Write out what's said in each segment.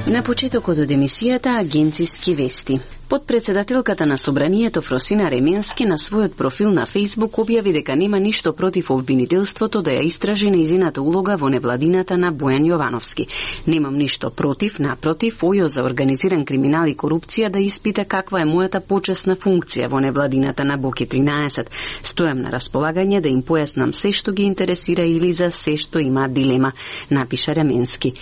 На почетокот од емисијата Агенциски вести. Подпредседателката на Собранието Фросина Ременски на својот профил на Facebook објави дека нема ништо против обвинителството да ја истражи нејзината улога во невладината на Бојан Јовановски. Немам ништо против, напротив, ОЈО за организиран криминал и корупција да испита каква е мојата почесна функција во невладината на Боки 13. Стојам на располагање да им појаснам се што ги интересира или за се што има дилема, напиша Ременски.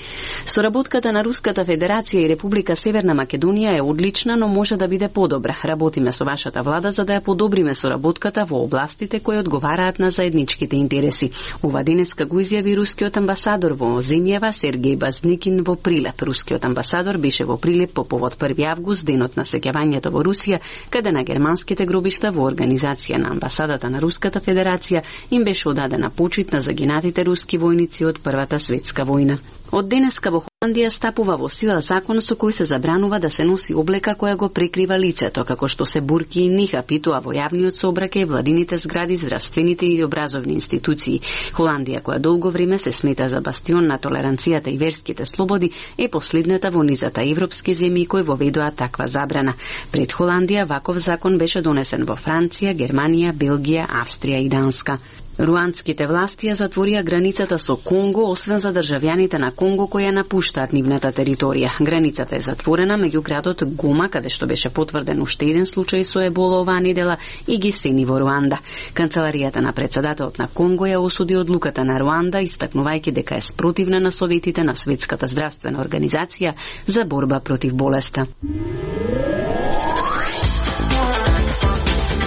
Соработката на Руската Федерација и Република Северна Македонија е одлична, но може да биде подобра. Работиме со вашата влада за да ја подобриме соработката во областите кои одговараат на заедничките интереси. Ова денеска го изјави рускиот амбасадор во земјава Сергеј Базникин во Прилеп. Рускиот амбасадор беше во Прилеп по повод 1 август, денот на сеќавањето во Русија, каде на германските гробишта во организација на амбасадата на Руската Федерација им беше одадена почит на загинатите руски војници од Првата светска војна. Од денеска во Холандија стапува во сила закон со кој се забранува да се носи облека која го прикрива лицето, како што се бурки и нихапи, тоа во јавниот сообраќај, владините згради, здравствените и образовни институции. Холандија, која долго време се смета за бастион на толеранцијата и верските слободи, е последната во низата европски земји кои воведоа таква забрана. Пред Холандија ваков закон беше донесен во Франција, Германија, Белгија, Австрија и Данска. Руандските власти ја затворија границата со Конго, освен за државјаните на Конго кои ја напуштаат нивната територија. Границата е затворена меѓу градот Гома, каде што беше потврден уште еден случај со ебола оваа недела, и Гисени во Руанда. Канцеларијата на претседателот на Конго ја осуди одлуката на Руанда, истакнувајќи дека е спротивна на советите на Светската здравствена организација за борба против болеста.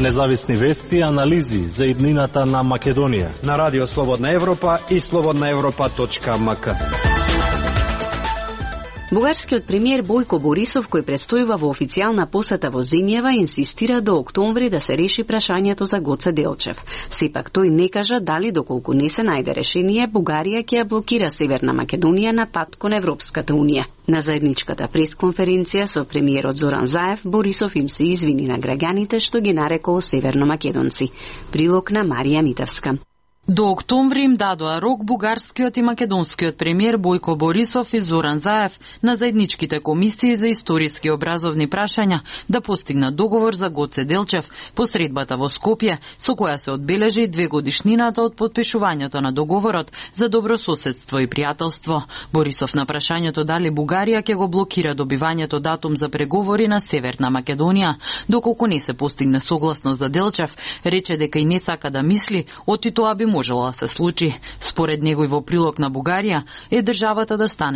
Независни вести и анализи за иднината на Македонија на Радио Слободна Европа и slobodnaevropa.mk. Бугарскиот премиер Бојко Борисов, кој престојува во официјална посета во земјава, инсистира до октомври да се реши прашањето за Гоце Делчев. Сепак тој не кажа дали доколку не се најде решение, Бугарија ќе ја блокира Северна Македонија на пат кон Европската унија. На заедничката пресконференција со премиерот Зоран Заев, Борисов им се извини на граѓаните што ги нарекол северномакедонци. Прилог на Марија Митевска. До октомври им дадоа рок бугарскиот и македонскиот премиер Бојко Борисов и Зоран Заев на заедничките комисии за историски образовни прашања да постигнат договор за Гоце Делчев по средбата во Скопје, со која се одбележи 2 годишнината од подпишувањето на договорот за добрососедство и пријателство. Борисов на прашањето дали Бугарија ќе го блокира добивањето датум за преговори на Северна Македонија, доколку не се постигне согласност за Делчев, рече дека и не сака да мисли, оти тоа би можело да се случи. Според него и во прилог на Бугарија е државата да стане